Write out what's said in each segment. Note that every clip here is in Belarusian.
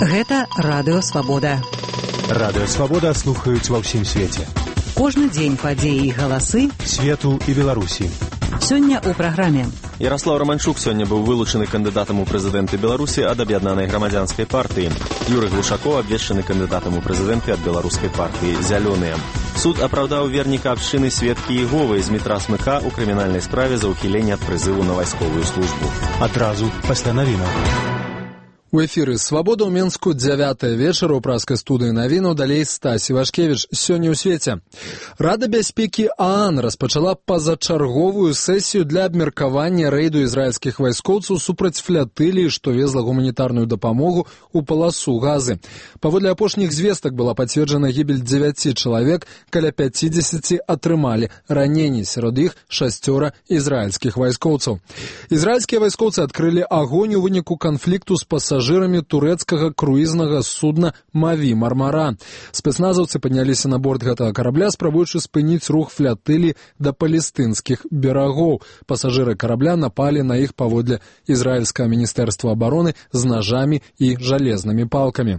Гэта Радыё Свабода. Радыё Свабода слухаюць ва ўсім свеце. Кожны дзень падзеі і галасы свету і Беларусі. Сёння ў праграме. Ярослав Романчук сёння быў вылучаны кандыдатам у прэзідэнты Беларусі ад аб'яднанай грамадзянскай партыі. Юрый Глушакоў абвешчаны кандыдатам у прэзідэнты ад беларускай партыі «Зялёныя». Суд апраўдаў верніка абшчыны сведкі Іговы з метра Смыка ў крымінальнай справе за ўхіленне ад прызыву на вайсковую службу. Адразу пасля навінаў. У эфіры «Свабода» ў Менску 9 вечара ў праскай студыі навінаў, далей Стась Івашкевіч. Сёння ў свеце. Рада бяспекі ААН распачала пазачарговую сесію для абмеркавання рэйду ізраільскіх вайскоўцаў супраць флятыліі, што везла гуманітарную дапамогу ў паласу Газы. Паводле апошніх звестак была пацверджана гібель 9 чалавек, каля 50 атрымалі раненні, сярод іх 6 ізраільскіх вайскоўцаў. Ізраільскія вайскоўцы адкрылі агонь у выніку канфлікту з пасажырамі турэцкага круізнага судна «Маві Мармара». Спецназаўцы падняліся на борт гэтага карабля, спрабуючы спыніць рух флятылі да палестынскіх берагоў. Пасажыры карабля напалі на іх паводле ізраільскага міністэрства абароны з нажамі і жалезнымі палкамі.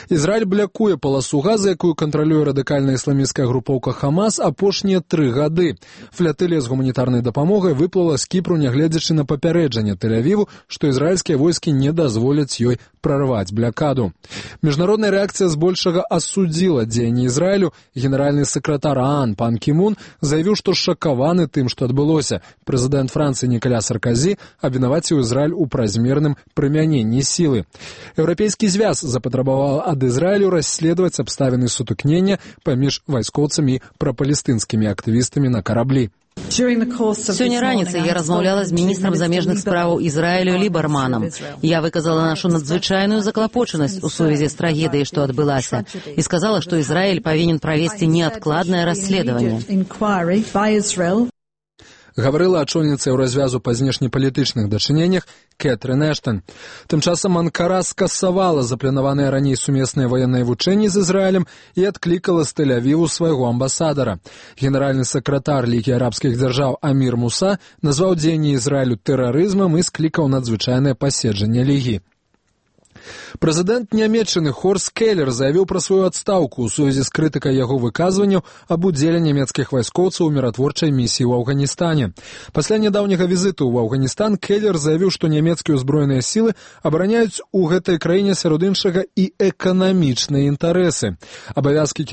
Ізраіль блякуе паласу Газы, якую кантралюе радыкальная ісламісцкая групоўка «Хамас» апошнія 3 гады. Флятылія з гуманітарнай дапамогай выплыла з Кіпру, нягледзячы на папярэджанне Тель-Авіву, што ізраільскія войскі не дазволяць ёй прорвать блокаду. Международная реакция збольшага осудила дзеянні Израилю. Генеральный секретарь ААН Пан Кі Мун заявил, что шокаваны тым, что адбылося. Президент Франции Николя Саркозі абвінаваціў Израиль у празмерным прымяненні силы. Еўрапейскі звяз запатрабаваў ад Израилю расследовать абставіны сутыкнення паміж вайскоўцамі і прапалестынскімі актывістамі на караблі. Сёння раніцай я размаўляла з міністрам замежных справаў Ізраілю Лібарманам. Я выказала нашу надзвычайную заклапочанасць у сувязі з трагедыяй, што адбылася, і сказала, што Ізраіль павінен правесці неадкладнае расследаванне. Гаварыла ачольніца Еўразвязу па знешнепалітычных дачыненнях Кэтрын Эштон. Тым часам Анкара скасавала запланаваныя раней сумесныя ваенныя вучэнні з Ізраілем і адклікала з Тель-Авіву свайго амбасадара. Генеральны сакратар Лігі арабскіх дзяржаў Амір Муса назваў дзеянні Ізраілю тэрарызмам і склікаў надзвычайнае паседжанне Лігі. Прэзідэнт Нямецчыны Хорст Келлер заявіў пра сваю адстаўку ў сувязі з крытыкай яго выказванняў аб удзеле нямецкіх вайскоўцаў у міратворчай місіі ў Афганістане. Пасля нядаўняга візіту ў Афганістан Келлер заявіў, што нямецкія ўзброеныя сілы абараняюць у гэтай краіне сярод іншага і эканамічныя інтарэсы. Абавязкі